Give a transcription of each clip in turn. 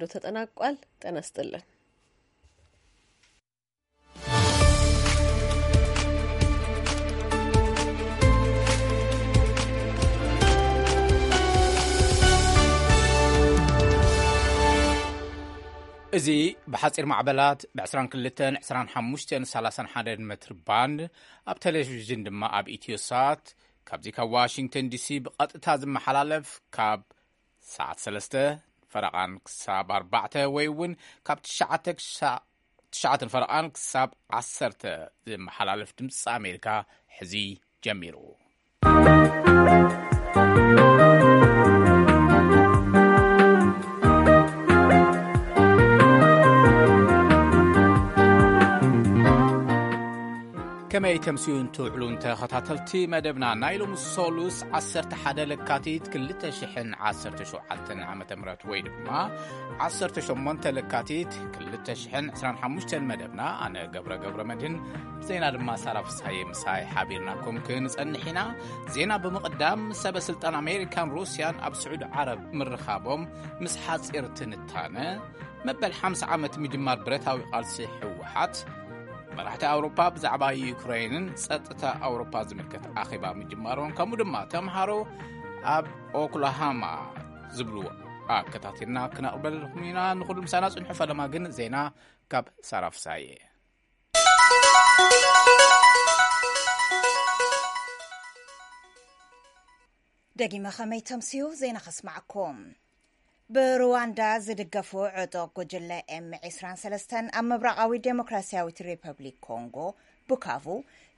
ተጠናቋል። ጤና ይስጥልን። እዚ ብሓጺር ማዕበላት ብ22፣ 25፣ 31 ሜትር ባንድ፣ ኣብ ቴሌቪዥን ድማ ኣብ ኢትዮሳት፣ ካብዚ ካብ ዋሽንግተን ዲሲ ብቐጥታ ዝመሓላለፍ፣ ካብ ሰዓት ሰለስተ ፈረቓን ክሳብ ኣርባዕተ፣ ወይ እውን ካብ ትሽዓተ ክሳ-፣ ትሽዓተ ፈረቓን ክሳብ ዓሰርተ ዝመሓላለፍ ድምፂ ኣሜሪካ ሕዚ ጀሚሩ። ከመይ ተምስዩን ትውዕሉን ተኸታተልቲ መደብና? ናይ ሎሚ ሰሉስ ዓሰርተ ሓደ ለካቲት ክልተ ሽሕን ዓሰርተ ሸውዓተን ዓመተ ምህረት፣ ወይ ድማ ዓሰርተ ሸሞንተ ለካቲት ክልተ ሽሕን ዕስራን ሓሙሽተን መደብና፣ ኣነ ገብረ ገብረ መድህን፣ ዜና ድማ ሳራ ፍስሃየ ምሳይ ሓቢርናኩም ክንጸንሕ ኢና። ዜና ብምቕዳም፣ ሰበ ስልጣን ኣሜሪካን ሩስያን ኣብ ስዑዲ ዓረብ ምርኻቦም፣ ምስ ሓጺር ትንታነ፣ መበል ሓምሳ ዓመት ምጅማር ብረታዊ ቃልሲ ህወሓት፣ መራሕቲ ኣውሮፓ ብዛዕባ ዩክሬንን ጸጥታ ኣውሮፓ ዝምልከት ኣኼባ ምጅማሮም፣ ከምኡ ድማ ተምሃሮ ኣብ ኦክላሃማ ዝብሉ ኣከታቲልና ክነቕርበልኩም ኢና። ንኹሉ ምሳና ጽንሑ። ፈለማ ግን ዜና ካብ ሳራ ፍሳየ። ደጊመ ከመይ ተምስዩ ዜና ከስማዕኩም። ብሩዋንዳ ዝድገፉ ዕጡቕ ጉጅለ ኤም ዕስራን ሰለስተን ኣብ ምብራቓዊ ዴሞክራሲያዊት ሪፐብሊክ ኮንጎ፣ ቡካቩ፣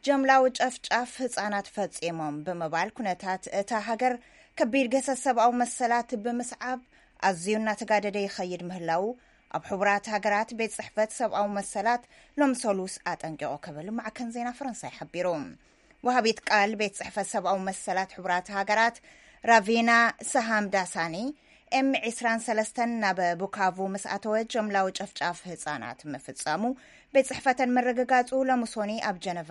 ጀምላዊ ጨፍጫፍ ህጻናት ፈጺሞም ብምባል፣ ኩነታት እታ ሃገር ከቢድ ገሰስ ሰብኣዊ መሰላት ብምስዓብ ኣዝዩ እናተጋደደ ይኸይድ ምህላዉ ኣብ ሕቡራት ሃገራት ቤት ጽሕፈት ሰብኣዊ መሰላት ሎም ሰሉስ ኣጠንቂቑ ክብል ማዕከን ዜና ፈረንሳይ ሓቢሩ። ወሃቢት ቃል ቤት ጽሕፈት ሰብኣዊ መሰላት ሕቡራት ሃገራት ራቪና ሳሃምዳሳኒ፣ ኤም ዕስራን ሰለስተን ናብ ቡካቩ ምስ ኣተወ ጀምላዊ ጨፍጫፍ ህጻናት ምፍጻሙ ቤት ጽሕፈተን ምርግጋጹ ሎሚ ሶኒ ኣብ ጀነቫ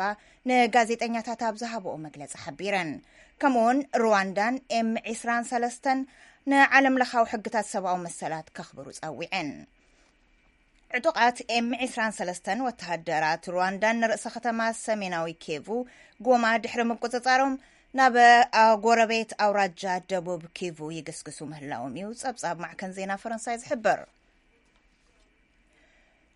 ንጋዜጠኛታት ኣብ ዝሃብኦ መግለጺ ሓቢረን። ከምኡውን ሩዋንዳን ኤም ዕስራን ሰለስተን ንዓለም ለኻዊ ሕግታት ሰብኣዊ መሰላት ከኽብሩ ጸዊዐን። ዕጡቓት ኤም ዕስራን ሰለስተን ወተሃደራት ሩዋንዳን ንርእሰ ከተማ ሰሜናዊ ኬቩ ጎማ ድሕሪ ምቁጽጻሮም፣ ናብ ጎረቤት ኣውራጃ ደቡብ ኪቩ ይግስግሱ ምህላዎም እዩ ጸብጻብ ማዕከን ዜና ፈረንሳይ ዝሕብር።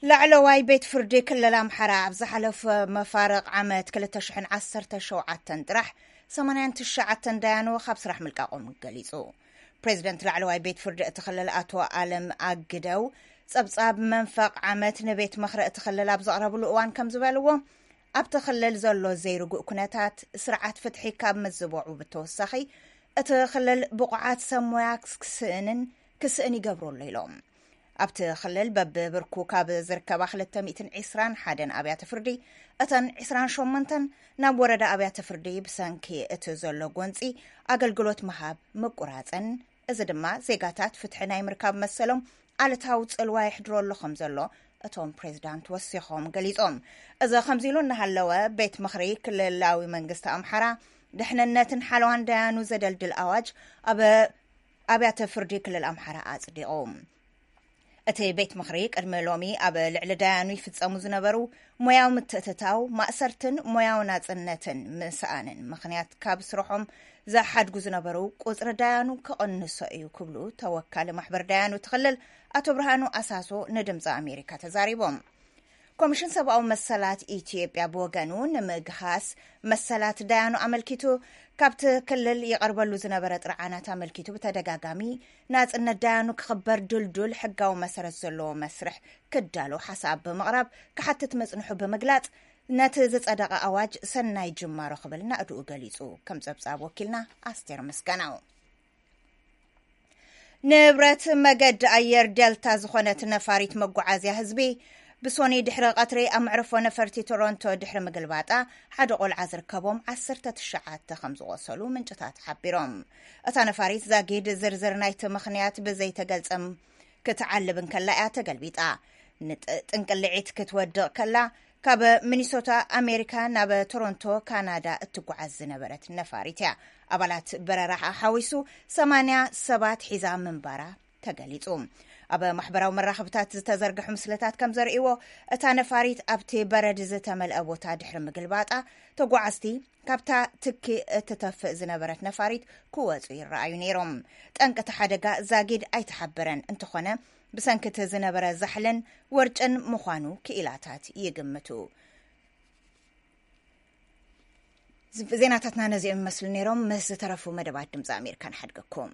ላዕለዋይ ቤት ፍርዲ ክልል ኣምሓራ ኣብ ዝሓለፈ መፋርቕ ዓመት ክልተ ሽሕን ዓሰርተ ሸውዓተን ጥራሕ ሰማንያን ትሽዓተን ዳያኑ ካብ ስራሕ ምልቃቖም ገሊጹ። ፕሬዚደንት ላዕለዋይ ቤት ፍርዲ እቲ ክልል ኣቶ ኣለም ኣግደው፣ ጸብጻብ መንፈቕ ዓመት ንቤት ምኽሪ እቲ ክልል ኣብ ዘቕረብሉ እዋን ከም ዝበልዎ፣ ኣብቲ ክልል ዘሎ ዘይርጉእ ኩነታት ስርዓት ፍትሒ ካብ ምዝበዑ ብተወሳኺ፣ እቲ ክልል ብቑዓት ሰብ ሞያ ክስእንን ክስእን ይገብሮ ኣሎ ኢሎም። ኣብቲ ክልል በብብርኩ ካብ ዝርከባ ክልተ ሚእትን ዕስራን ሓደን ኣብያተ ፍርዲ፣ እተን ዕስራን ሸሞንተን ናብ ወረዳ ኣብያተ ፍርዲ ብሰንኪ እቲ ዘሎ ጎንጺ ኣገልግሎት ምሃብ ምቁራጸን፣ እዚ ድማ ዜጋታት ፍትሒ ናይ ምርካብ መሰሎም ኣሉታዊ ጽልዋ የሕድሮ ኣሎ ከም ዘሎ እቶም ፕሬዚዳንት ወሲኾም ገሊጾም። እዚ ከምዚ ኢሉ እናሃለወ፣ ቤት ምኽሪ ክልላዊ መንግስቲ ኣምሓራ፣ ድሕንነትን ሓለዋን ዳያኑ ዘደልድል ኣዋጅ ኣብ ኣብያተ ፍርዲ ክልል ኣምሓራ ኣጽዲቑ። እቲ ቤት ምኽሪ ቅድሚ ሎሚ ኣብ ልዕሊ ዳያኑ ይፍጸሙ ዝነበሩ ሞያዊ ምትእትታው፣ ማእሰርትን ሞያዊ ናጽነትን ምስኣንን ምኽንያት ካብ ስርሖም ዝሓድጉ ዝነበሩ ቁጽሪ ዳያኑ ክቕንሶ እዩ ክብሉ ተወካሊ ማሕበር ዳያኑ እቲ ክልል ኣቶ ብርሃኑ ኣሳሶ ንድምፂ ኣሜሪካ ተዛሪቦም። ኮሚሽን ሰብኣዊ መሰላት ኢትዮጵያ ብወገኑ፣ ንምግሃስ መሰላት ዳያኑ ኣመልኪቱ ካብቲ ክልል ይቐርበሉ ዝነበረ ጥርዓናት ኣመልኪቱ፣ ብተደጋጋሚ ናጽነት ዳያኑ ክኽበር ድልዱል ሕጋዊ መሰረት ዘለዎ መስርሕ ክዳሎ ሓሳብ ብምቕራብ ክሓትት መጽንሑ ብምግላጽ፣ ነቲ ዝጸደቐ ኣዋጅ ሰናይ ጅማሮ ክብል ናእድኡ ገሊጹ። ከም ጸብጻብ ወኪልና ኣስቴር ምስጋናው። ንብረት መገዲ ኣየር ዴልታ ዝኾነት ነፋሪት መጓዓዝያ ህዝቢ፣ ብሶኒ ድሕሪ ቀትሪ ኣብ መዕርፎ ነፈርቲ ቶሮንቶ ድሕሪ ምግልባጣ፣ ሓደ ቆልዓ ዝርከቦም ዓሰርተ ትሽዓተ ከም ዝቖሰሉ ምንጭታት ሓቢሮም። እታ ነፋሪት ዛጊድ ዝርዝር ናይቲ ምኽንያት ብዘይተገልጸ ክትዓልብ እንከላ እያ ተገልቢጣ። ንጥ-፣ ጥንቅልዒት ክትወድቕ ከላ፣ ካብ ሚኒሶታ ኣሜሪካ ናብ ቶሮንቶ ካናዳ እትጓዓዝ ዝነበረት ነፋሪት እያ። ኣባላት በረራ ሓዊሱ ሰማንያ ሰባት ሒዛ ምንባራ ተገሊጹ። ኣብ ማሕበራዊ መራኸብታት ዝተዘርግሑ ምስልታት ከም ዘርእይዎ፣ እታ ነፋሪት ኣብቲ በረድ ዝተመልአ ቦታ ድሕሪ ምግልባጣ፣ ተጓዓዝቲ ካብታ ትኪ እትተፍእ ዝነበረት ነፋሪት ክወጹ ይረኣዩ ነይሮም። ጠንቂ እቲ ሓደጋ ዛጊድ ኣይተሓበረን፣ እንተኾነ ብሰንኪ እቲ ዝነበረ ዛሕልን ወርጭን ምዃኑ ክኢላታት ይግምቱ። ዜናታትና ነዚኦም ይመስሉ ነይሮም። ምስ ዝተረፉ መደባት ድምፂ ኣሜሪካ ንሓድገኩም።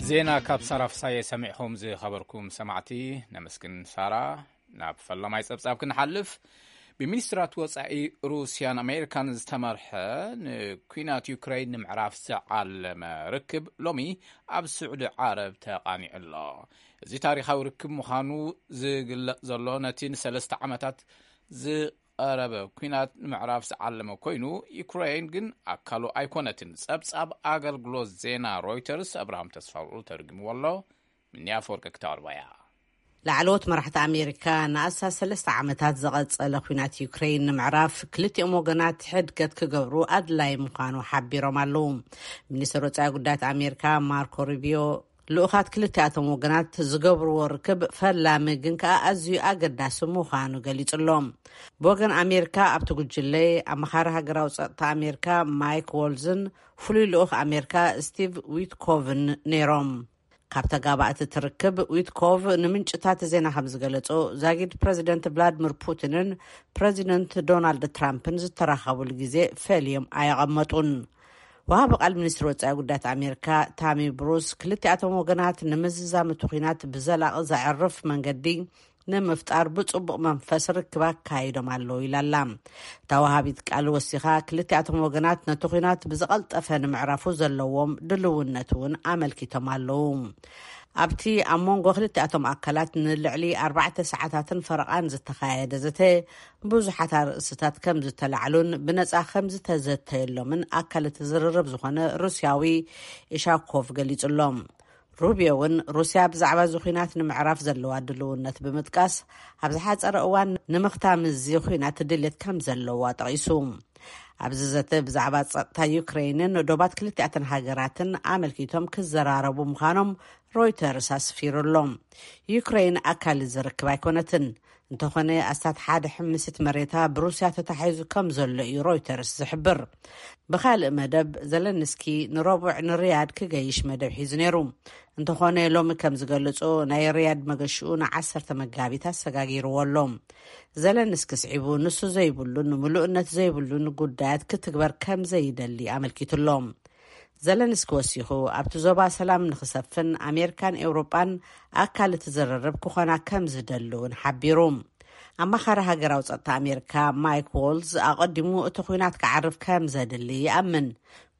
ዜና ካብ ሳራ ፍሳየ ሰሚዕኹም ዝኸበርኩም ሰማዕቲ ነመስግን። ሳራ፣ ናብ ፈላማይ ጸብጻብ ክንሓልፍ፣ ብሚኒስትራት ወጻኢ ሩስያን ኣሜሪካን ዝተመርሐ ንኲናት ዩክረይን ንምዕራፍ ዝዓለመ ርክብ ሎሚ ኣብ ስዑዲ ዓረብ ተቓኒዑ ኣሎ። እዚ ታሪኻዊ ርክብ ምዃኑ ዝግለጽ ዘሎ፣ ነቲ ንሰለስተ ዓመታት ዝቐረበ ኲናት ንምዕራፍ ዝዓለመ ኮይኑ፣ ዩክረይን ግን ኣካሉ ኣይኮነትን። ጸብጻብ ኣገልግሎት ዜና ሮይተርስ፣ ኣብርሃም ተስፋውርቁ ተርጉምዎ ኣሎ። ምንያ ኣፈወርቂ ክተቕርቦ እያ። ላዕለዎት መራሕቲ ኣሜሪካ፣ ንኣስታት ሰለስተ ዓመታት ዝቐጸለ ኲናት ዩክረይን ንምዕራፍ ክልቲኦም ወገናት ሕድገት ክገብሩ ኣድላይ ምዃኑ ሓቢሮም ኣለዉ። ሚኒስትር ወጻኢ ጉዳያት ኣሜሪካ ማርኮ ሩቢዮ፣ ልኡኻት ክልቲኣቶም ወገናት ዝገብርዎ ርክብ ፈላሚ ግን ከኣ ኣዝዩ ኣገዳሲ ምዃኑ ገሊጹ ኣሎ። ብወገን ኣሜሪካ፣ ኣብቲ ጉጅለ ኣመኻሪ ሃገራዊ ጸጥታ ኣሜሪካ ማይክ ዎልዝን ፍሉይ ልኡኽ ኣሜሪካ ስቲቭ ዊትኮቭን ነይሮም። ካብ ተጋባእቲ እቲ ርክብ፣ ዊትኮቭ ንምንጭታት ዜና ከም ዝገለጾ፣ ዛጊድ ፕረዚደንት ቭላድሚር ፑቲንን ፕረዚደንት ዶናልድ ትራምፕን ዝተራኸቡሉ ግዜ ፈልዮም ኣየቐመጡን። ወሃቢ ቃል ሚኒስትሪ ወጻኢ ጉዳያት ኣሜሪካ ታሚ ብሩስ፣ ክልቲኣቶም ወገናት ንምዝዛም እቲ ኲናት ብዘላቒ ዘዕርፍ መንገዲ ንምፍጣር ብጽቡቕ መንፈስ ርክብ ኣካይዶም ኣለዉ ኢላ ኣላ። እታ ወሃቢት ቃል ወሲኻ፣ ክልቲኣቶም ወገናት ነቲ ኲናት ብዝቐልጠፈ ንምዕራፉ ዘለዎም ድልውነት እውን ኣመልኪቶም ኣለዉ። ኣብቲ ኣብ መንጎ ክልቲኣቶም ኣካላት ንልዕሊ ኣርባዕተ ሰዓታትን ፈረቓን ዝተኻየደ ዘተ፣ ብዙሓት ኣርእስትታት ከም ዝተላዕሉን ብነጻ ከም ዝተዘተየሎምን ኣካል እቲ ዝርርብ ዝኾነ ሩስያዊ ኢሻኮቭ ገሊጹ ኣሎ። ሩቢዮ እውን ሩስያ ብዛዕባ እዚ ኲናት ንምዕራፍ ዘለዋ ድልውነት ብምጥቃስ፣ ኣብ ዝሓጸረ እዋን ንምኽታም እዚ ኲናት ድሌት ከም ዘለዋ ጠቒሱ። ኣብዚ ዘተ ብዛዕባ ጸጥታ ዩክረይንን ዶባት ክልቲኣተን ሃገራትን ኣመልኪቶም ክዘራረቡ ምዃኖም ሮይተርስ ኣስፊሩ ኣሎ። ዩክረይን ኣካል እዚ ርክብ ኣይኮነትን። እንተኾነ፣ ኣስታት ሓደ ሕምሲት መሬታ ብሩስያ ተታሒዙ ከም ዘሎ እዩ ሮይተርስ ዝሕብር። ብኻልእ መደብ፣ ዘለንስኪ ንረቡዕ ንሪያድ ክገይሽ መደብ ሒዙ ነይሩ። እንተኾነ፣ ሎሚ ከም ዝገለጾ፣ ናይ ሪያድ መገሽኡ ንዓሰርተ መጋቢት ኣሰጋጊርዎ ኣሎ። ዘለንስኪ ስዒቡ፣ ንሱ ዘይብሉን ምሉእነት ዘይብሉን ጉዳያት ክትግበር ከም ዘይደሊ ኣመልኪቱ ኣሎ። ዘለንስኪ ወሲኹ፣ ኣብቲ ዞባ ሰላም ንኽሰፍን ኣሜሪካን ኤውሮጳን ኣካል እቲ ዝርርብ ክኾና ከም ዝደሊ እውን ሓቢሩ። ኣማኻሪ ሃገራዊ ጸጥታ ኣሜሪካ ማይክ ዎልዝ ኣቐዲሙ እቲ ኲናት ክዓርፍ ከም ዘድሊ ይኣምን።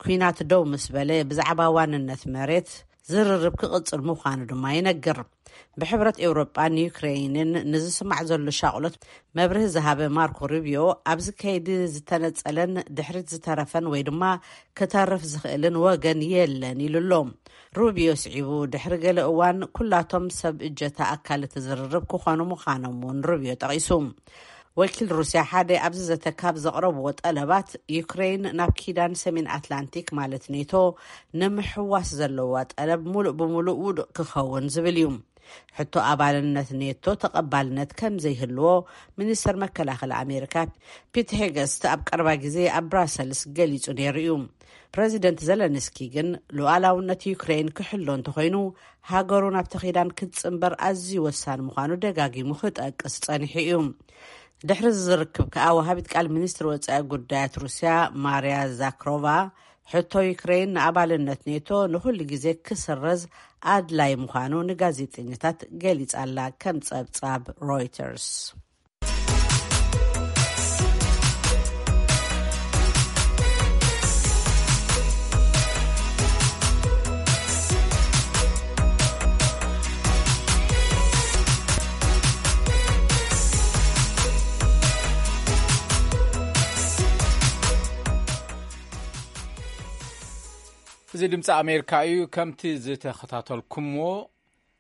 ኲናት ደው ምስ በለ፣ ብዛዕባ ዋንነት መሬት ዝርርብ ክቕጽል ምዃኑ ድማ ይነግር። ብሕብረት ኤውሮጳን ዩክሬይንን ንዝስማዕ ዘሎ ሻቕሎት መብርሂ ዝሃበ ማርኮ ሩቢዮ፣ ኣብዚ ከይዲ ዝተነጸለን ድሕሪት ዝተረፈን ወይ ድማ ክተርፍ ዝኽእልን ወገን የለን ኢሉ ኣሎ። ሩቢዮ ስዒቡ፣ ድሕሪ ገለ እዋን ኩላቶም ሰብ እጀታ ኣካል እቲ ዝርርብ ክኾኑ ምዃኖም እውን ሩቢዮ ጠቒሱ። ወኪል ሩስያ ሓደ ኣብዚ ዘተ ካብ ዘቕረብዎ ጠለባት፣ ዩክሬን ናብ ኪዳን ሰሜን ኣትላንቲክ ማለት ኔቶ ንምሕዋስ ዘለዋ ጠለብ ሙሉእ ብሙሉእ ውዱእ ክኸውን ዝብል እዩ። ሕቶ ኣባልነት ኔቶ ተቐባልነት ከም ዘይህልዎ ሚኒስተር መከላኸሊ ኣሜሪካ ፒት ሄገስት ኣብ ቀረባ ግዜ ኣብ ብራሰልስ ገሊጹ ነይሩ እዩ። ፕረዚደንት ዘለንስኪ ግን ሉዓላውነት ዩክሬን ክሕሎ እንተኾይኑ፣ ሃገሩ ናብቲ ኪዳን ክትጽንበር ኣዝዩ ወሳኒ ምዃኑ ደጋጊሙ ክጠቅስ ጸኒሑ እዩ። ድሕሪ እዚ ዝርክብ ከኣ፣ ወሃቢት ቃል ሚኒስትሪ ወጻኢ ጉዳያት ሩስያ ማርያ ዛክሮቫ፣ ሕቶ ዩክሬን ንኣባልነት ኔቶ ንኹሉ ግዜ ክስረዝ ኣድላይ ምዃኑ ንጋዜጠኛታት ገሊጻ ኣላ፣ ከም ጸብጻብ ሮይተርስ። እዚ ድምፂ ኣሜሪካ እዩ። ከምቲ ዝተኸታተልኩምዎ፣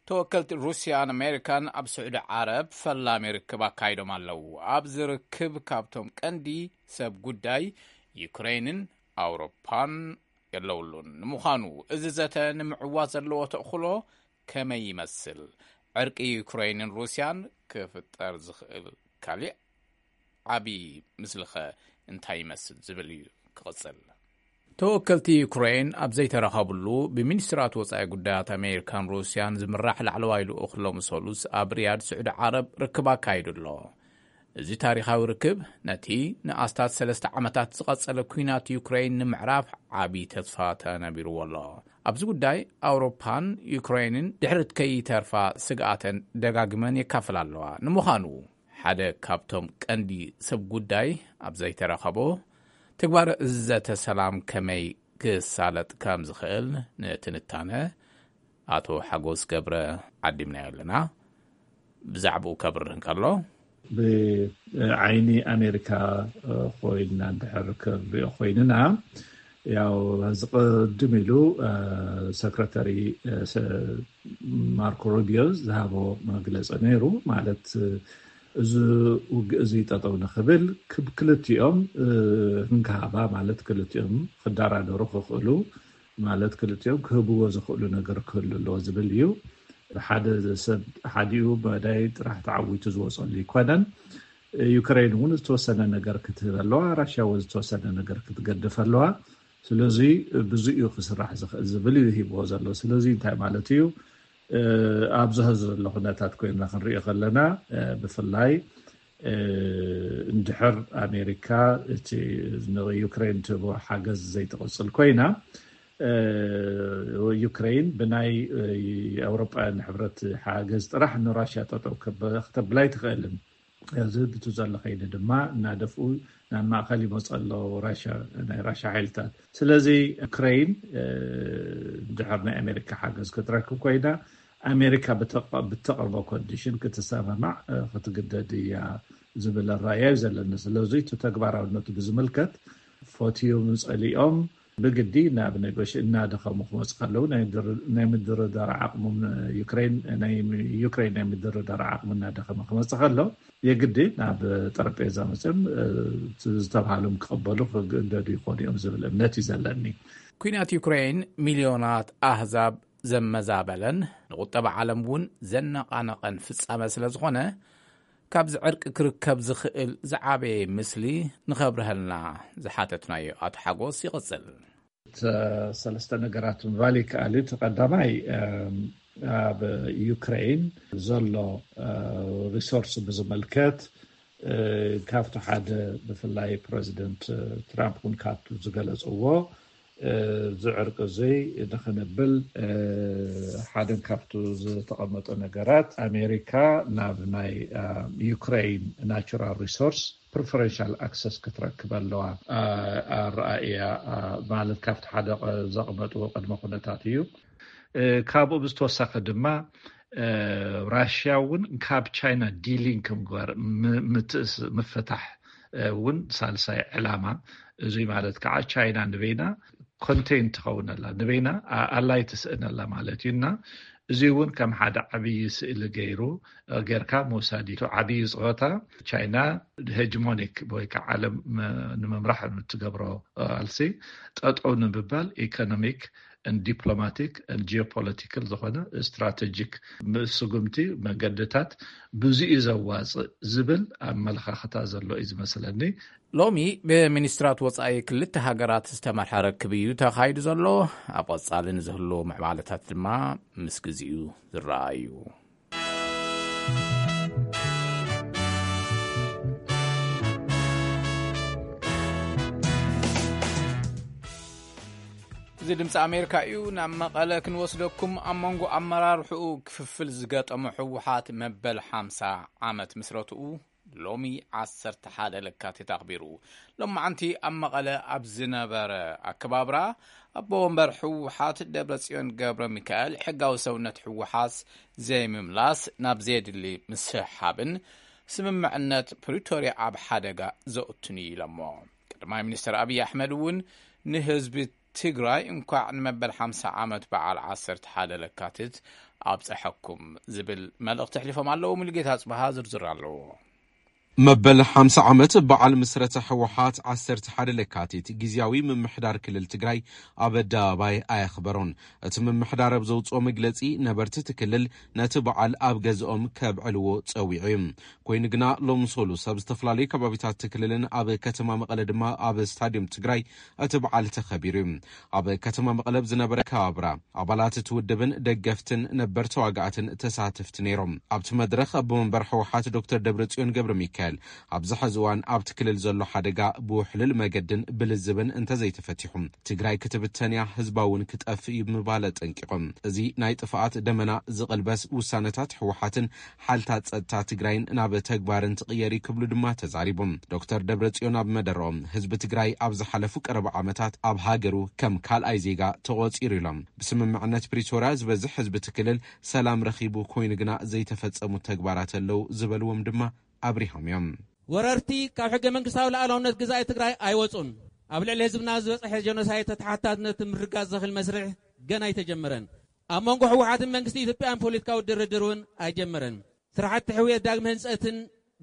ተወከልቲ ሩስያን ኣሜሪካን ኣብ ስዑዲ ዓረብ ፈላሚ ርክብ ኣካይዶም ኣለዉ። ኣብዚ ርክብ ካብቶም ቀንዲ ሰብ ጉዳይ ዩክሬንን ኣውሮፓን የለውሉን። ንምዃኑ እዚ ዘተ ንምዕዋት ዘለዎ ተኽእሎ ከመይ ይመስል? ዕርቂ ዩክሬንን ሩስያን ክፍጠር ዝኽእል ካሊእ ዓቢ ምስልኸ እንታይ ይመስል ዝብል እዩ ክቕጽል። ተወከልቲ ዩክሬን ኣብ ዘይተራኸብሉ፣ ብሚኒስትራት ወጻኢ ጉዳያት ኣሜሪካን ሩስያን ዝምራሕ ላዕለዋይ ልኡኽ ሎሚ ሰሉስ ኣብ ሪያድ ስዑዲ ዓረብ ርክብ ኣካይዱ ኣሎ። እዚ ታሪኻዊ ርክብ ነቲ ንኣስታት ሰለስተ ዓመታት ዝቐጸለ ኲናት ዩክሬን ንምዕራፍ ዓቢ ተስፋ ተነቢርዎ ኣሎ። ኣብዚ ጉዳይ ኣውሮፓን ዩክሬንን ድሕሪት ከይተርፋ ስግኣተን ደጋግመን የካፍላ ኣለዋ። ንምዃኑ ሓደ ካብቶም ቀንዲ ሰብ ጉዳይ ኣብ ዘይተረኸቦ፣ ተግባር እዚ ዘተ ሰላም ከመይ ክሳለጥ ከም ዝኽእል ንትንታነ ኣቶ ሓጎስ ገብረ ዓዲምናዮ ኣለና። ብዛዕባኡ ከብርህ እንከሎ፣ ብዓይኒ ኣሜሪካ ኮይንና እንድሕር ክንሪኦ ኮይንና፣ ያው ዝቕድም ኢሉ ሰክረተሪ ማርኮ ሩቢዮ ዝሃቦ መግለፂ ነይሩ። ማለት እዚ ውግእ እዚ ጠጠው ንኽብል ክብ ክልቲኦም ክንከሃባ፣ ማለት ክልቲኦም ክደራደሩ ክኽእሉ፣ ማለት ክልቲኦም ክህብዎ ዝኽእሉ ነገር ክህሉ ኣለዎ ዝብል እዩ። ሓደ ሰብ ሓዲኡ መዳይ ጥራሕ ተዓዊቱ ዝወፀሉ ይኮነን። ዩክሬን እውን ዝተወሰነ ነገር ክትህብ ኣለዋ፣ ራሽያ እውን ዝተወሰነ ነገር ክትገድፍ ኣለዋ። ስለዚ ብዙ እዩ ክስራሕ ዝኽእል ዝብል እዩ ሂብዎ ዘሎ። ስለዚ እንታይ ማለት እዩ? ኣብዚ ሀዚ ዘሎ ኩነታት ኮይና ክንሪኦ ከለና፣ ብፍላይ እንድሕር ኣሜሪካ እቲ ንዩክሬን ትህቦ ሓገዝ ዘይትቕፅል ኮይና፣ ዩክሬን ብናይ ኣውሮጳውያን ሕብረት ሓገዝ ጥራሕ ንራሽያ ጠጠው ከተብላ ኣይትኽእልን። እዚ ብቲ ዘሎ ከይዲ ድማ እናደፍኡ ናብ ማእከል ይመፁ ኣለዉ ናይ ራሽያ ሓይልታት። ስለዚ ዩክሬን ድሕር ናይ ኣሜሪካ ሓገዝ ክትረክብ ኮይና፣ ኣሜሪካ ብተቕርቦ ኮንዲሽን ክትሰማማዕ ክትግደድ እያ ዝብል ኣረኣእያ እዩ ዘለኒ። ስለዚ እቲ ተግባራውነቱ ብዝምልከት ፈትዮም ጸሊኦም ብግዲ ናብ ኔጎሽ እናደኸሙ ክመፁ ከለዉ፣ ናይ ምድርዳር ዓቕሞም ዩክሬን ናይ ምድርዳር ዓቕሙ እናደኸመ ክመፅእ ከሎ፣ የግዲ ናብ ጠረጴዛ መፅኦም ዝተባሃሎም ክቕበሉ ክግደዱ ይኾኑ እዮም ዝብል እምነት እዩ ዘለኒ። ኩናት ዩክሬን ሚልዮናት ኣህዛብ ዘመዛበለን ንቁጠባ ዓለም እውን ዘነቓነቐን ፍጻመ ስለ ዝኾነ፣ ካብዚ ዕርቂ ክርከብ ዝኽእል ዝዓበየ ምስሊ ንኸብርሀልና ዝሓተትናዮ ኣቶ ሓጎስ ይቕጽል። ሰለስተ ነገራት ምባል ይከኣል እዩ። እቲ ቀዳማይ ኣብ ዩክሬን ዘሎ ሪሶርስ ብዝምልከት፣ ካብቲ ሓደ ብፍላይ ፕረዚደንት ትራምፕ እውን ካብቲ ዝገለፅዎ እዚ ዕርቂ እዚ ንኽንብል ሓደን ካብቱ ዝተቐመጠ ነገራት ኣሜሪካ ናብ ናይ ዩክሬን ናቹራል ሪሶርስ ፕሪፈረንሻል ኣክሰስ ክትረክብ ኣለዋ ኣረኣእያ ማለት ካብቲ ሓደ ዘቐመጥዎ ቅድመ ኩነታት እዩ። ካብኡ ብዝተወሳኺ ድማ ራሽያ እውን ካብ ቻይና ዲሊንክ ምግባር ምትእስ ምፍታሕ እውን ሳልሳይ ዕላማ። እዙይ ማለት ከዓ ቻይና ንበይና ኮንቴን ትኸውን ኣላ፣ ንበይና ኣላይ ትስእን ኣላ ማለት እዩ። እና እዚ እውን ከም ሓደ ዓብዪ ስእሊ ገይሩ ጌርካ ምውሳድ እዩ። ዓብዪ ፀወታ ቻይና ሄጅሞኒክ ወይ ከዓ ዓለም ንምምራሕ ትገብሮ ኣልሲ ጠጠው ንምባል ኢኮኖሚክ ን ዲፕሎማቲክ ን ጂኦፖለቲካል ዝኾነ ስትራቴጂክ ስጉምቲ መገድታት ብዙ እዩ ዘዋፅእ ዝብል ኣመለኻኽታ ዘሎ እዩ ዝመስለኒ። ሎሚ ብሚኒስትራት ወፃኢ ክልተ ሃገራት ዝተመርሐ ርክብ እዩ ተኻይዱ ዘሎ። ኣብ ቐፃሊ ንዝህሉ ምዕባለታት ድማ ምስ ግዜኡ ዝረኣ እዩ። እዚ ድምፂ ኣሜሪካ እዩ። ናብ መቐለ ክንወስደኩም። ኣብ መንጎ ኣመራርሕኡ ክፍፍል ዝገጠሞ ህወሓት መበል ሓምሳ ዓመት ምስረትኡ ሎሚ ዓሰርተ ሓደ ለካቲት ኣኽቢሩ። ሎማዓንቲ ኣብ መቐለ ኣብ ዝነበረ ኣከባብራ ኣቦ ወንበር ህወሓት ደብረጽዮን ገብረ ሚካኤል ሕጋዊ ሰውነት ህወሓት ዘይምምላስ ናብ ዘየድሊ ምስሕሓብን ስምምዕነት ፕሪቶርያ ኣብ ሓደጋ ዘእቱን እዩ ኢሎሞ። ቀዳማይ ሚኒስትር ኣብይ ኣሕመድ እውን ንህዝቢ ትግራይ እንኳዕ ንመበል ሓምሳ ዓመት በዓል ዓሰርተ ሓደ ለካቲት ኣብፀሐኩም ዝብል መልእኽቲ ኣሕሊፎም ኣለዉ። ሙሉጌታ ኣፅበሃ ዝርዝር ኣለዎ። መበል ሓምሳ ዓመት በዓል ምስረታ ህወሓት ዓሰርተ ሓደ ለካቲት ግዝያዊ ምምሕዳር ክልል ትግራይ ኣብ ኣደባባይ ኣየኽበሮን። እቲ ምምሕዳር ኣብ ዘውፅኦ መግለፂ ነበርቲ እቲ ክልል ነቲ በዓል ኣብ ገዝኦም ከብዕልዎ ፀዊዑ እዩ። ኮይኑ ግና ሎም ሰሉስ ኣብ ዝተፈላለዩ ከባቢታት እቲ ክልልን ኣብ ከተማ መቐለ ድማ ኣብ ስታዲየም ትግራይ እቲ በዓል ተኸቢሩ እዩ። ኣብ ከተማ መቐለ ኣብ ዝነበረ ከባብራ ኣባላት እቲ ውድብን ደገፍትን ነበር ተዋጋእትን ተሳተፍቲ ነይሮም። ኣብቲ መድረኽ ኣቦ መንበር ህወሓት ዶክተር ደብረጽዮን ገብረ ሚካኤል ኣብዚ ሐዚ እዋን ኣብቲ ክልል ዘሎ ሓደጋ ብውሕሉል መገድን ብልዝብን እንተዘይተፈቲሑ ትግራይ ክትብተን እያ፣ ህዝባ እውን ክጠፍእ እዩ ብምባል ኣጠንቂቖም። እዚ ናይ ጥፍኣት ደመና ዝቕልበስ ውሳነታት ህወሓትን ሓልታት ጸጥታ ትግራይን ናብ ተግባር እንትቕየር እዩ ክብሉ ድማ ተዛሪቦም። ዶክተር ደብረጽዮን ኣብ መደረኦም ህዝቢ ትግራይ ኣብ ዝሓለፉ ቀረባ ዓመታት ኣብ ሃገሩ ከም ካልኣይ ዜጋ ተቖጺሩ ኢሎም። ብስምምዕነት ፕሪቶርያ ዝበዝሕ ህዝቢ እቲ ክልል ሰላም ረኺቡ ኮይኑ ግና ዘይተፈጸሙ ተግባራት ኣለዉ ዝበልዎም ድማ ኣብሪሆም እዮም። ወረርቲ ካብ ሕገ መንግስታዊ ሉዓላውነት ግዛኢ ትግራይ ኣይወፁን። ኣብ ልዕሊ ህዝብና ዝበፅሐ ጀኖሳይድ ተተሓታትነት ምርጋፅ ዘኽእል መስርሕ ገና ኣይተጀመረን። ኣብ መንጎ ህወሓትን መንግስቲ ኢትዮጵያን ፖለቲካዊ ድርድር እውን ኣይጀመረን። ስራሕቲ ሕውየት ዳግመ ህንፀትን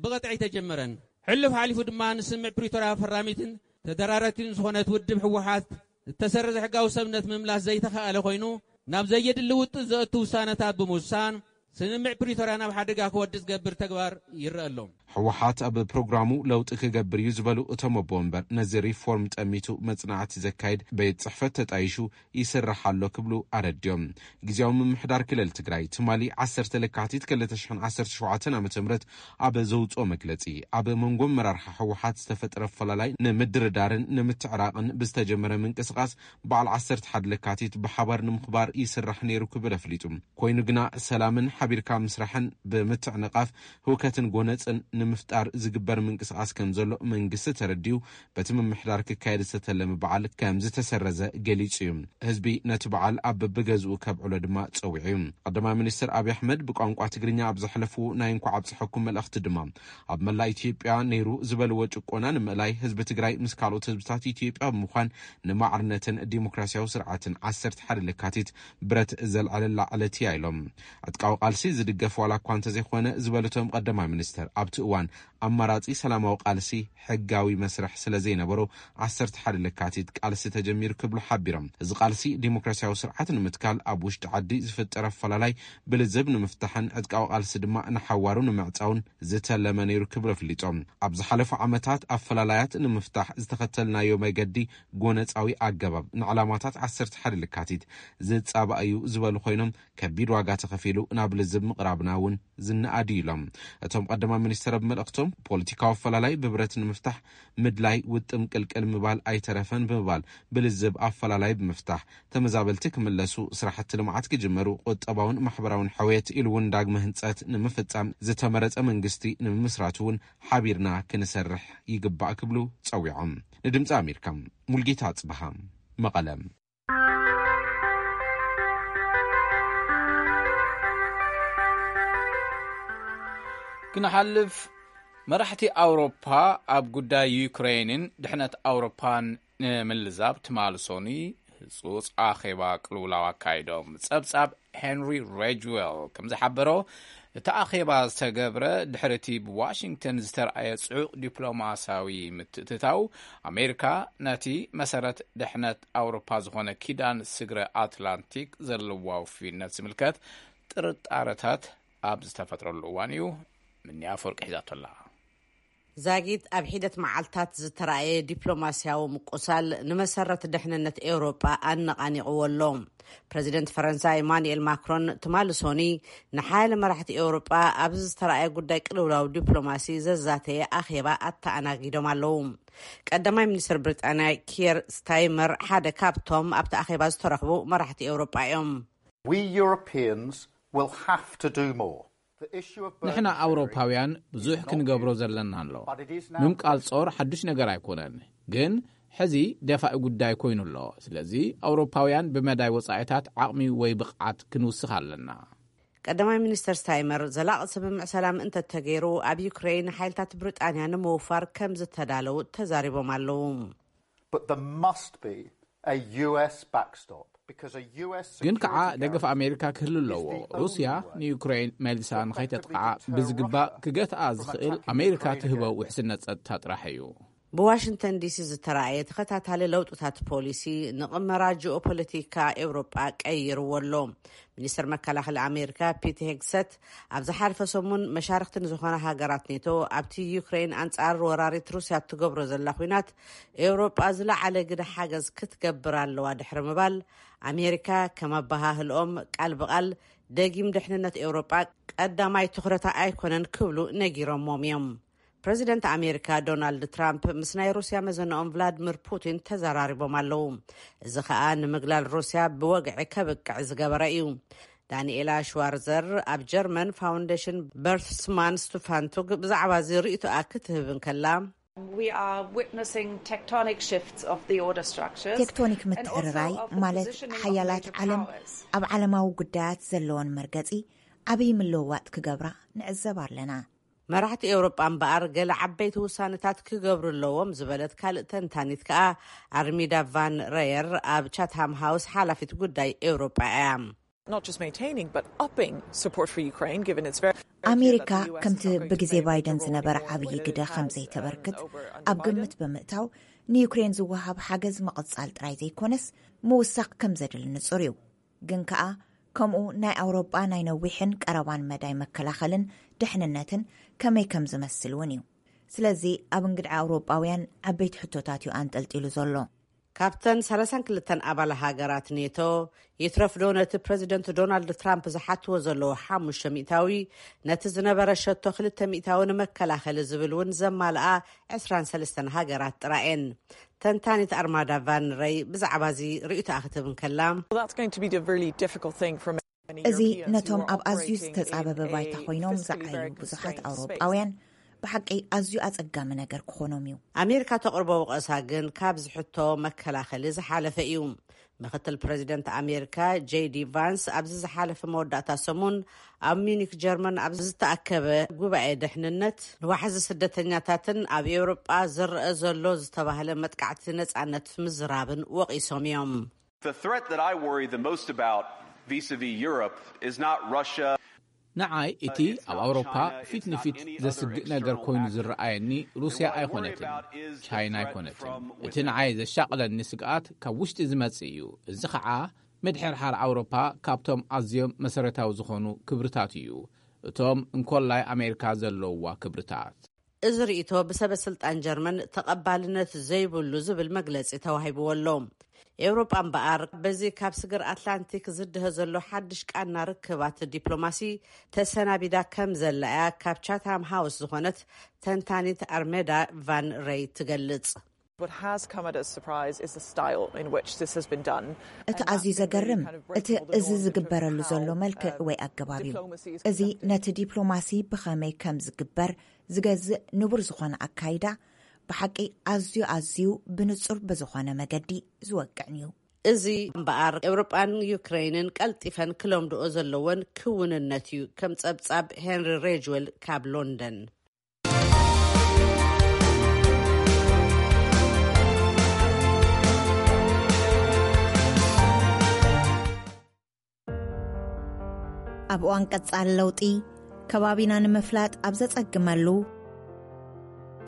ብቐጥዒ ኣይተጀመረን። ሕሉፍ ሓሊፉ ድማ ንስምምዕ ፕሪቶርያ ፈራሚትን ተደራረቲን ዝኾነት ውድብ ህወሓት እተሰረዘ ሕጋዊ ሰብነት ምምላስ ዘይተኻእለ ኮይኑ ናብ ዘየድሊ ውጥእ ዘእቱ ውሳነታት ብምውሳን ስምምዕ ፕሪቶርያ ናብ ሓደጋ ክወድቅ ዝገብር ተግባር ይረአ ኣሎ። ህወሓት ኣብ ፕሮግራሙ ለውጢ ክገብር እዩ ዝበሉ እቶም ኣቦ ወንበር ነዚ ሪፎርም ጠሚቱ መጽናዕቲ ዘካይድ ቤት ጽሕፈት ተጣይሹ ይስራሕ ኣሎ ክብሉ ኣረድዮም። ግዝያዊ ምምሕዳር ክልል ትግራይ ትማሊ ዓሰርተ ለካቲት ክልተ ሽሕን ዓሰርተ ሸውዓተን ዓመተ ምህረት ኣብ ዘውፅኦ መግለፂ ኣብ መንጎ ኣመራርሓ ህወሓት ዝተፈጠረ ኣፈላላይ ንምድርዳርን ንምትዕራቕን ብዝተጀመረ ምንቅስቓስ በዓል ዓሰርተ ሓደ ለካቲት ብሓባር ንምኽባር ይስራሕ ነይሩ ክብል ኣፍሊጡ። ኮይኑ ግና ሰላምን ሓቢርካ ምስራሕን ብምትዕንቓፍ ህውከትን ጎነፅን ንምፍጣር ዝግበር ምንቅስቓስ ከም ዘሎ መንግስቲ ተረዲኡ በቲ ምምሕዳር ክካየድ ዝተተለመ በዓል ከም ዝተሰረዘ ገሊጹ እዩ። ህዝቢ ነቲ በዓል ኣብ በብገዝኡ ከብዕሎ ድማ ጸዊዑ እዩ። ቀዳማይ ሚኒስትር ኣብይ ኣሕመድ ብቋንቋ ትግርኛ ኣብ ዘሕለፍዎ ናይ እንኳዕ ኣብጽሐኩም መልእኽቲ ድማ ኣብ መላእ ኢትዮጵያ ነይሩ ዝበልዎ ጭቆና ንምእላይ ህዝቢ ትግራይ ምስ ካልኦት ህዝብታት ኢትዮጵያ ብምዃን ንማዕርነትን ዲሞክራሲያዊ ስርዓትን ዓሰርተ ሓደ ለካቲት ብረት ዘልዓለላ ዕለት እያ ኢሎም። ዕጥቃዊ ቃልሲ ዝድገፍ ዋላ እኳ እንተዘይኮነ ዝበሉቶም ቀዳማይ ሚኒስትር ኣብቲ እዋን ኣማራጺ ሰላማዊ ቃልሲ ሕጋዊ መስርሕ ስለ ዘይነበሮ ዓሰርተ ሓደ ለካቲት ቃልሲ ተጀሚሩ ክብሉ ሓቢሮም። እዚ ቃልሲ ዲሞክራሲያዊ ስርዓት ንምትካል ኣብ ውሽጢ ዓዲ ዝፍጠር ኣፈላላይ ብልዝብ ንምፍታሕን ዕጥቃዊ ቃልሲ ድማ ንሓዋሩ ንምዕጻውን ዝተለመ ነይሩ ክብሉ ኣፍሊጦም። ኣብ ዝሓለፉ ዓመታት ኣፈላላያት ንምፍታሕ ዝተኸተልናዮ መገዲ ጎነጻዊ ኣገባብ ንዕላማታት ዓሰርተ ሓደ ለካቲት ዝጻባእ እዩ ዝበሉ ኮይኖም ከቢድ ዋጋ ተኸፊሉ ናብ ልዝብ ምቕራብና እውን ዝነኣድ እዩ ኢሎም። እቶም ቀዳማይ ሚኒስትር ኣብ መልእኽቶም ፖለቲካዊ ኣፈላላይ ብብረት ንምፍታሕ ምድላይ ውጥም ቅልቅል ምባል ኣይተረፈን ብምባል ብልዝብ ኣፈላላይ ብምፍታሕ ተመዛበልቲ ክምለሱ፣ ስራሕቲ ልምዓት ክጅመሩ፣ ቁጠባውን ማሕበራውን ሕውየት ኢሉ እውን ዳግመ ህንፀት ንምፍፃም ዝተመረፀ መንግስቲ ንምምስራት እውን ሓቢርና ክንሰርሕ ይግባእ ክብሉ ፀዊዖም። ንድምፂ ኣሜሪካ ሙልጌታ ኣፅበሃ መቐለ። ክንሓልፍ መራሕቲ ኣውሮፓ ኣብ ጉዳይ ዩክሬንን ድሕነት ኣውሮፓን ንምልዛብ ትማሊ ሶኒ ህጹጽ ኣኼባ ቅልውላው ኣካይዶም። ጸብጻብ ሄንሪ ሬጅዌል ከም ዝሓበሮ እቲ ኣኼባ ዝተገብረ ድሕሪ እቲ ብዋሽንግተን ዝተረኣየ ጽዑቕ ዲፕሎማሲያዊ ምትእትታው ኣሜሪካ ነቲ መሰረት ድሕነት ኣውሮፓ ዝኾነ ኪዳን ስግረ ኣትላንቲክ ዘለዋ ውፍይነት ዝምልከት ጥርጣረታት ኣብ ዝተፈጥረሉ እዋን እዩ። ምንያ ኣፈወርቂ ሒዛቶ ኣላ። ዛጊት ኣብ ሒደት መዓልታት ዝተራእየ ዲፕሎማስያዊ ምቁሳል ንመሰረት ድሕንነት ኤውሮጳ ኣነቓኒቕዎ ኣሎ። ፕረዚደንት ፈረንሳ ኢማኑኤል ማክሮን ትማሊ ሶኒ ንሓያለ መራሕቲ ኤውሮጳ ኣብዚ ዝተራእየ ጉዳይ ቅልውላው ዲፕሎማሲ ዘዛተየ ኣኼባ ኣተኣናጊዶም ኣለዉ። ቀዳማይ ሚኒስትር ብሪጣንያ ኪየር ስታይመር ሓደ ካብቶም ኣብቲ ኣኼባ ዝተረኽቡ መራሕቲ ኤውሮጳ እዮም። We Europeans will have to do more. ንሕና ኣውሮፓውያን ብዙሕ ክንገብሮ ዘለና ኣሎ። ምምቃል ጾር ሓዱሽ ነገር ኣይኮነን፣ ግን ሕዚ ደፋኢ ጉዳይ ኮይኑ ኣሎ። ስለዚ ኣውሮፓውያን ብመዳይ ወጻኢታት ዓቕሚ ወይ ብቕዓት ክንውስኽ ኣለና። ቀዳማይ ሚኒስተር ስታይመር ዘላቒ ስምምዕ ሰላም እንተተገይሩ ኣብ ዩክሬን ሓይልታት ብሪጣንያ ንምውፋር ከም ዝተዳለዉ ተዛሪቦም ኣለዉ። But there must be a U S backstop. ግን ከዓ ደገፍ ኣሜሪካ ክህሉ ኣለዎ። ሩስያ ንዩክሬን መልሳ ንኸይተጥቅዓ ብዝግባእ ክገትኣ ዝኽእል ኣሜሪካ ትህቦ ውሕስነት ጸጥታ ጥራሕ እዩ። ብዋሽንግተን ዲሲ ዝተረኣየ ተኸታታሊ ለውጥታት ፖሊሲ ንቕመራ ጂኦፖለቲካ ኤውሮጳ ቀይርዎ ኣሎ። ሚኒስትር መከላኸሊ ኣሜሪካ ፒት ሄግሰት ኣብ ዝሓለፈ ሰሙን መሻርክቲ ንዝኾና ሃገራት ኔቶ ኣብቲ ዩክሬን ኣንጻር ወራሪት ሩስያ እትገብሮ ዘላ ኲናት ኤውሮጳ ዝለዓለ ግደ ሓገዝ ክትገብር ኣለዋ ድሕሪ ምባል ኣሜሪካ ከም ኣበሃህልኦም ቃል ብቓል ደጊም ድሕንነት ኤውሮጳ ቀዳማይ ትኹረታ ኣይኮነን ክብሉ ነጊሮሞም እዮም። ፕረዚደንት ኣሜሪካ ዶናልድ ትራምፕ ምስ ናይ ሩስያ መዘንኦም ቭላድሚር ፑቲን ተዘራሪቦም ኣለዉ። እዚ ኸኣ ንምግላል ሩስያ ብወግዒ ከብቅዕ ዝገበረ እዩ። ዳንኤላ ሽዋርዘር ኣብ ጀርመን ፋውንዴሽን በርትስማን ስቱፋንቱግ ብዛዕባ እዚ ርእይቶኣ ክትህብ እንከላ We are witnessing tectonic shifts of the order structures. ቴክቶኒክ ምትዕርራይ ማለት ሓያላት ዓለም ኣብ ዓለማዊ ጉዳያት ዘለዎን መርገጺ ዓብዪ ምልውዋጥ ክገብራ ንዕዘብ ኣለና። መራሕቲ ኤውሮጳ እምበኣር ገለ ዓበይቲ ውሳነታት ክገብሩ ኣለዎም ዝበለት ካልእ ተንታኒት ከኣ ኣርሚዳ ቫን ረየር ኣብ ቻትሃም ሃውስ ሓላፊት ጉዳይ ኤውሮጳ እያ። Not just maintaining, but upping support for Ukraine, given its very ኣሜሪካ ከምቲ ብግዜ ባይደን ዝነበረ ዓብዪ ግደ ከም ዘይተበርክት ኣብ ግምት ብምእታው ንዩክሬን ዝወሃብ ሓገዝ ምቕጻል ጥራይ ዘይኮነስ ምውሳኽ ከም ዘድሊ ንጹር እዩ። ግን ከኣ ከምኡ ናይ ኣውሮጳ ናይ ነዊሕን ቀረባን መዳይ መከላኸልን ድሕንነትን ከመይ ከም ዝመስል እውን እዩ። ስለዚ ኣብ እንግድዓ ኣውሮጳውያን ዓበይቲ ሕቶታት እዩ ኣንጠልጢሉ ዘሎ። ካብተን ሰላሳን ክልተን ኣባል ሃገራት ኔቶ ይትረፍዶ ነቲ ፕረዚደንት ዶናልድ ትራምፕ ዝሓትዎ ዘለዉ ሓሙሽተ ሚእታዊ ነቲ ዝነበረ ሸቶ ክልተ ሚእታዊ ንመከላኸሊ ዝብል እውን ዘማልኣ ዕስራን ሰለስተን ሃገራት ጥራየን። ተንታኒት ኣርማዳ ቫን ረይ ብዛዕባ እዚ ርእይቶኣ ክትህብ እንከላ Well, that's going to be a really difficult thing for many እዚ Europeans who ነቶም are ኣብ ኣዝዩ operating ዝተጻበበ in a ባይታ ኮይኖም fiscally ዝዓዩ very ብዙሓት constrained ኣውሮጳውያን ብሓቂ ኣዝዩ ኣጸጋሚ ነገር ክኾኖም እዩ። ኣሜሪካ ተቕርቦ ወቐሳ ግን ካብዚ ሕቶ መከላኸሊ ዝሓለፈ እዩ። ምክትል ፕረዚደንት ኣሜሪካ ጄዲ ቫንስ ኣብዚ ዝሓለፈ መወዳእታ ሰሙን ኣብ ሚኒክ ጀርመን ኣብ ዝተኣከበ ጉባኤ ድሕንነት ንዋሕዚ ስደተኛታትን ኣብ ኤውሮጳ ዝረአ ዘሎ ዝተባህለ መጥቃዕቲ ነጻነት ምዝራብን ወቒሶም እዮም። The threat that I worry the most about vis-a-vis Europe is not Russia. ንዓይ እቲ ኣብ ኣውሮፓ ፊት ንፊት ዘስግእ ነገር ኮይኑ ዝረኣየኒ ሩስያ ኣይኮነትን፣ ቻይና ኣይኮነትን። እቲ ንዓይ ዘሻቕለኒ ስግኣት ካብ ውሽጢ ዝመጽእ እዩ። እዚ ኸዓ ምድሕርሓር ኣውሮፓ ካብቶም ኣዝዮም መሰረታዊ ዝኾኑ ክብርታት እዩ። እቶም እንኮላይ ኣሜሪካ ዘለውዋ ክብርታት። እዚ ርእይቶ ብሰበ ስልጣን ጀርመን ተቐባልነት ዘይብሉ ዝብል መግለጺ ተዋሂብዎ ኣሎ። ኤውሮጳ እምበኣር በዚ ካብ ስግር ኣትላንቲክ ዝድሀ ዘሎ ሓድሽ ቃና ርክባት ዲፕሎማሲ ተሰናቢዳ ከም ዘላ እያ ካብ ቻትሃም ሃውስ ዝኾነት ተንታኒት ኣርሜዳ ቫን ረይ ትገልጽ። What has come at a surprise is the style in which this has been done. እቲ ኣዝዩ ዘገርም እቲ እዚ ዝግበረሉ ዘሎ መልክዕ ወይ ኣገባብ እዩ። እዚ ነቲ ዲፕሎማሲ ብኸመይ ከም ዝግበር ዝገዝእ ንቡር ዝኾነ ኣካይዳ ብሓቂ ኣዝዩ ኣዝዩ ብንጹር ብዝኾነ መገዲ ዝወቅዕን እዩ። እዚ እምበኣር ኤውሮጳን ዩክሬንን ቀልጢፈን ክለምድኦ ዘለወን ክውንነት እዩ። ከም ጸብጻብ ሄንሪ ሬጅዌል ካብ ሎንደን። ኣብ እዋን ቀጻሊ ለውጢ ከባቢና ንምፍላጥ ኣብ ዘጸግመሉ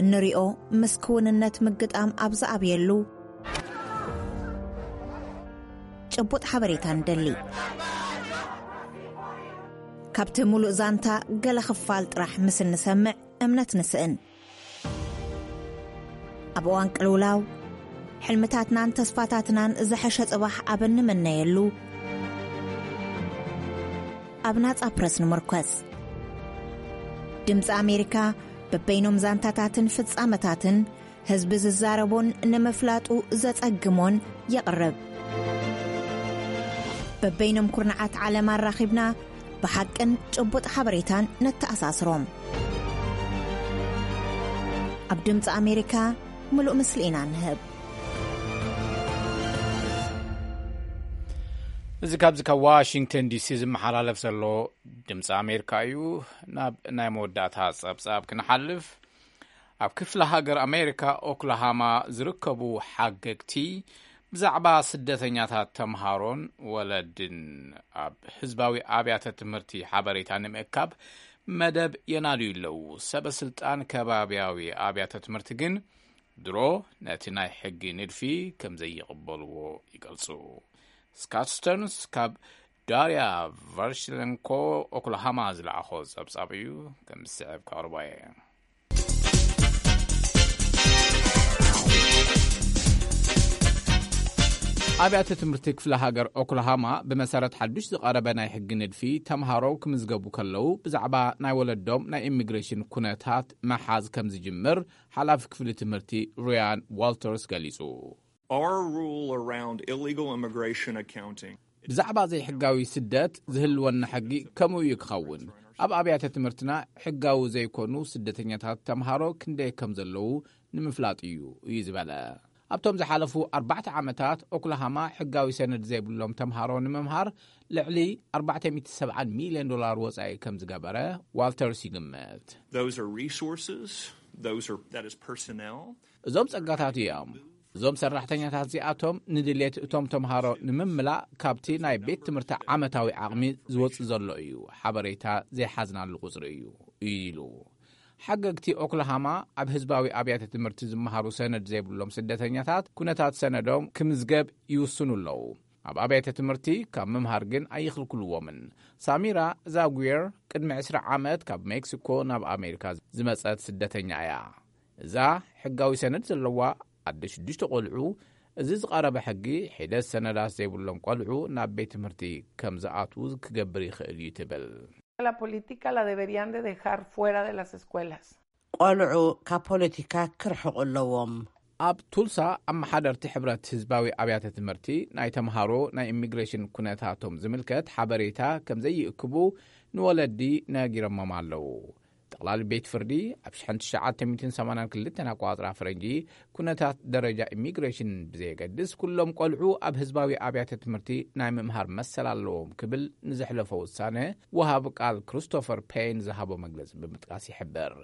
እንሪኦ ምስ ክውንነት ምግጣም ኣብ ዝኣብየሉ ጭቡጥ ሓበሬታ ንደሊ። ካብቲ ሙሉእ ዛንታ ገለ ክፋል ጥራሕ ምስ እንሰምዕ እምነት ንስእን። ኣብ እዋን ቅልውላው ሕልምታትናን ተስፋታትናን ዝሐሸ ጽባሕ ኣብ እንምነየሉ ኣብ ናጻ ፕረስ ንምርኮስ። ድምፂ ኣሜሪካ በበይኖም ዛንታታትን ፍጻመታትን ህዝቢ ዝዛረቦን ንምፍላጡ ዘጸግሞን የቕርብ። በበይኖም ኩርናዓት ዓለም ኣራኺብና ብሓቅን ጭቡጥ ሓበሬታን ነተኣሳስሮም። ኣብ ድምፂ ኣሜሪካ ምሉእ ምስሊ ኢና ንህብ። እዚ ካብዚ ካብ ዋሽንግተን ዲሲ ዝመሓላለፍ ዘሎ ድምፂ ኣሜሪካ እዩ። ናብ ናይ መወዳእታ ጸብጻብ ክንሓልፍ፣ ኣብ ክፍለ ሃገር ኣሜሪካ ኦክላሃማ ዝርከቡ ሓገግቲ ብዛዕባ ስደተኛታት ተምሃሮን ወለድን ኣብ ህዝባዊ ኣብያተ ትምህርቲ ሓበሬታ ንምእካብ መደብ የናድዩ ኣለዉ። ሰበ ስልጣን ከባብያዊ ኣብያተ ትምህርቲ ግን ድሮ ነቲ ናይ ሕጊ ንድፊ ከም ዘይቕበልዎ ይገልጹ። ስካት ስተርንስ ካብ ዳርያ ቨርሽለንኮ ኦክላሃማ ዝለኣኾ ጸብጻብ እዩ፣ ከም ዝስዕብ ከቕርቦ እየ። ኣብያተ ትምህርቲ ክፍለ ሃገር ኦክላሃማ ብመሰረት ሓዱሽ ዝቐረበ ናይ ሕጊ ንድፊ ተምሃሮ ክምዝገቡ ከለዉ ብዛዕባ ናይ ወለዶም ናይ ኢሚግሬሽን ኩነታት መሓዝ ከም ዝጅምር ሓላፊ ክፍሊ ትምህርቲ ሩያን ዋልተርስ ገሊጹ። Our rule around illegal immigration accounting ብዛዕባ ዘይሕጋዊ ስደት ዝህልወና ሕጊ ከምኡ እዩ ክኸውን። ኣብ ኣብያተ ትምህርትና ሕጋዊ ዘይኮኑ ስደተኛታት ተምሃሮ ክንደይ ከም ዘለዉ ንምፍላጥ እዩ፣ እዩ ዝበለ። ኣብቶም ዝሓለፉ ኣርባዕተ ዓመታት ኦክላሃማ ሕጋዊ ሰነድ ዘይብሎም ተምሃሮ ንምምሃር ልዕሊ ኣርባዕተ ሚእቲ ሰብዓን ሚልዮን ዶላር ወጻኢ ከም ዝገበረ ዋልተርስ ይግምት። Those are resources, those are, that is personnel. እዞም ጸጋታት እዮም። እዞም ሰራሕተኛታት እዚኣቶም ንድሌት እቶም ተምሃሮ ንምምላእ ካብቲ ናይ ቤት ትምህርቲ ዓመታዊ ዓቕሚ ዝወጽእ ዘሎ እዩ። ሓበሬታ ዘይሓዝናሉ ቁጽሪ እዩ፣ ኢሉ። ሓገግቲ ኦክላሃማ ኣብ ህዝባዊ ኣብያተ ትምህርቲ ዝመሃሩ ሰነድ ዘይብሎም ስደተኛታት ኩነታት ሰነዶም ክምዝገብ ይውስኑ ኣለዉ። ኣብ ኣብያተ ትምህርቲ ካብ ምምሃር ግን ኣይኽልክልዎምን። ሳሚራ ዛጉየር ቅድሚ ዕስራ ዓመት ካብ ሜክሲኮ ናብ ኣሜሪካ ዝመጸት ስደተኛ እያ። እዛ ሕጋዊ ሰነድ ዘለዋ ኣደ ሽዱሽተ ቆልዑ፣ እዚ ዝቐረበ ሕጊ ሒደት ሰነዳት ዘይብሎም ቆልዑ ናብ ቤት ትምህርቲ ከም ዝኣትዉ ክገብር ይኽእል እዩ ትብል። La política la deberían de dejar fuera de las escuelas. ቆልዑ ካብ ፖለቲካ ክርሕቑ ኣለዎም። ኣብ ቱልሳ ኣመሓደርቲ ሕብረት ህዝባዊ ኣብያተ ትምህርቲ ናይ ተምሃሮ ናይ ኢሚግሬሽን ኩነታቶም ዝምልከት ሓበሬታ ከም ዘይእክቡ ንወለዲ ነጊሮሞም ኣለዉ። ጠቕላሊ ቤት ፍርዲ ኣብ ሽሕን ትሽዓተ ሚእትን ሰማንያን ክልተን ኣቋጽራ ፈረንጂ ኩነታት ደረጃ ኢሚግሬሽን ብዘየገድስ ኩሎም ቆልዑ ኣብ ህዝባዊ ኣብያተ ትምህርቲ ናይ ምምሃር መሰል ኣለዎም ክብል ንዘሕለፎ ውሳነ ወሃቢ ቃል ክሪስቶፈር ፔን ዝሃቦ መግለጺ ብምጥቃስ ይሕብር።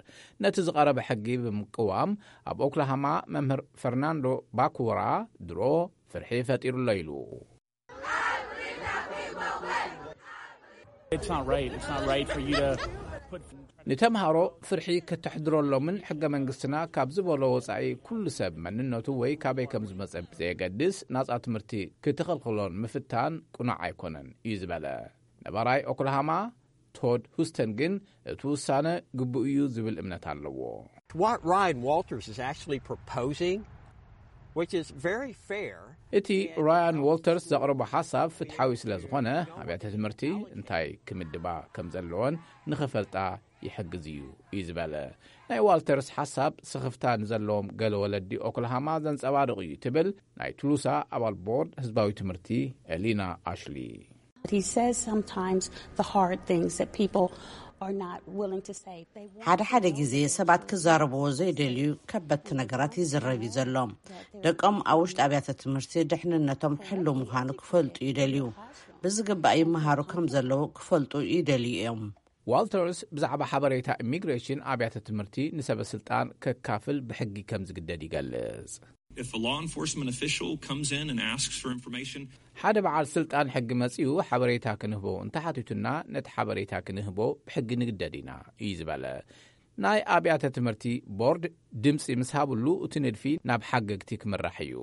ነቲ ዝቐረበ ሕጊ ብምቅዋም ኣብ ኦክላሃማ መምህር ፈርናንዶ ባኩራ ድሮ ፍርሒ ፈጢሩ ኣሎ ኢሉ። It's not right. It's not right for you to put ንተምሃሮ ፍርሒ ከተሕድረሎምን ሕገ መንግስትና ካብ ዝበሎ ወጻኢ ኩሉ ሰብ መንነቱ ወይ ካበይ ከም ዝመጸ ብዘየገድስ ናጻ ትምህርቲ ክትኸልክሎን ምፍታን ቅኑዕ ኣይኮነን እዩ ዝበለ። ነባራይ ኦክላሃማ ቶድ ሁስተን ግን እቲ ውሳነ ግቡእ እዩ ዝብል እምነት ኣለዎ። What Ryan Walters is actually proposing, which is very fair, እቲ ራያን ዋልተርስ ዘቕረቦ ሓሳብ ፍትሓዊ ስለ ዝኾነ ኣብያተ ትምህርቲ እንታይ ክምድባ ከም ዘለወን ንኸፈልጣ ይሕግዝ እዩ እዩ ዝበለ። ናይ ዋልተርስ ሓሳብ ስኽፍታ ንዘለዎም ገለ ወለዲ ኦክላሃማ ዘንጸባርቕ እዩ ትብል ናይ ቱሉሳ ኣባል ቦርድ ህዝባዊ ትምህርቲ ኤሊና ኣሽሊ። He says sometimes the hard things that people are not willing to say. They want ሓደ ሓደ ግዜ ሰባት ክዛረብዎ ዘይደልዩ ከበድቲ ነገራት ይዝረብ እዩ ዘሎ። ደቆም ኣብ ውሽጢ ኣብያተ ትምህርቲ ድሕንነቶም ሕሉው ምዃኑ ክፈልጡ ይደልዩ። ብዝግባእ ይመሃሩ ከም ዘለዉ ክፈልጡ ይደልዩ እዮም። ዋልተርስ ብዛዕባ ሓበሬታ ኢሚግሬሽን ኣብያተ ትምህርቲ ንሰበ ስልጣን ከካፍል ብሕጊ ከም ዝግደድ ይገልጽ። If a law enforcement official comes in and asks for information, ሓደ በዓል ስልጣን ሕጊ መጺኡ ሓበሬታ ክንህቦ እንተሓቲቱና ነቲ ሓበሬታ ክንህቦ ብሕጊ ንግደድ ኢና እዩ ዝበለ። ናይ ኣብያተ ትምህርቲ ቦርድ ድምፂ ምስ ሃብሉ እቲ ንድፊ ናብ ሓገግቲ ክምራሕ እዩ።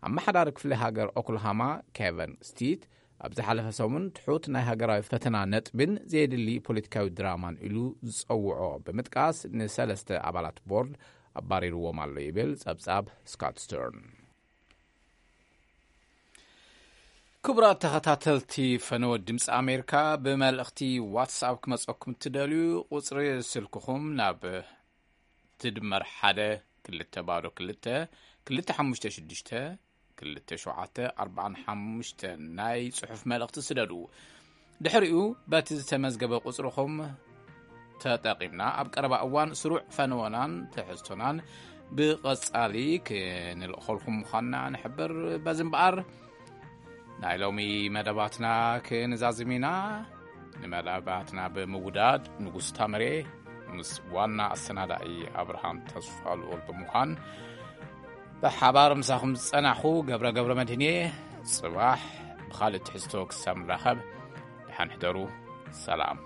ኣመሓዳሪ ክፍሊ ሃገር ኦክላሃማ ኬቨን ስቲት ኣብ ዝሓለፈ ሰሙን ትሑት ናይ ሃገራዊ ፈተና ነጥብን ዘየድሊ ፖለቲካዊ ድራማን ኢሉ ዝጸውዖ ብምጥቃስ ንሰለስተ ኣባላት ቦርድ ኣባሪርዎም ኣሎ ይብል ጸብጻብ ስካት ስተርን። ክቡራት ተኸታተልቲ ፈነወ ድምፂ ኣሜሪካ፣ ብመልእኽቲ ዋትስኣፕ ክመፀኩም እትደልዩ ቁፅሪ ስልክኹም ናብ ትድመር ሓደ ክልተ ባዶ ክልተ ክልተ ሓሙሽተ ሽዱሽተ ክልተ ሸውዓተ ኣርባዓን ሓሙሽተ ናይ ጽሑፍ መልእኽቲ ስደዱ። ድሕሪኡ በቲ ዝተመዝገበ ቁጽርኹም ተጠቒምና ኣብ ቀረባ እዋን ስሩዕ ፈነወናን ትሕዝቶናን ብቐጻሊ ክንልእኸልኩም ምዃንና ንሕብር። በዚ እምበኣር ናይ ሎሚ መደባትና ክንዛዝም ኢና። ንመደባትና ብምውዳድ ንጉስ ታምሬ ምስ ዋና ኣሰናዳኢ ኣብርሃም ተስፋ ልኡል ብምዃን ብሓባር ምሳኹም ዝጸናኹ ገብረ ገብረ መድህን እየ። ጽባሕ ብኻልእ ትሕዝቶ ክሳብ ንራኸብ፣ ደሓን ሕደሩ። ሰላም።